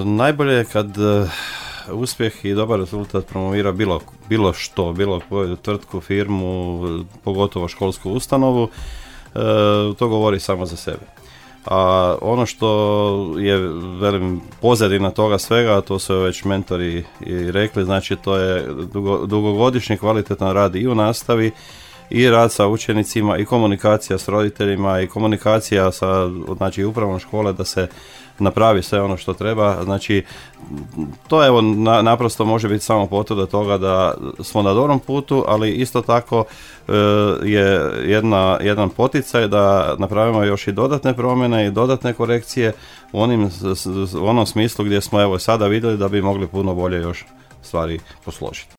Najbolje je kad uspjeh i dobar rezultat promovira bilo što, bilo koju tvrtku, firmu, pogotovo školsku ustanovu, to govori samo za sebe. A ono što je, velim, pozadina toga svega, to su već mentori i rekli, znači to je dugogodišnji kvalitetan rad i u nastavi, i rad sa učenicima, i komunikacija s roditeljima, i komunikacija sa, znači, upravom škole da se napravi sve ono što treba. Znači, to evo naprosto može biti samo potvrda toga da smo na dobrom putu, ali isto tako je jedan poticaj da napravimo još i dodatne promjene i dodatne korekcije u onom smislu gdje smo evo sada vidjeli da bi mogli puno bolje još stvari posložiti.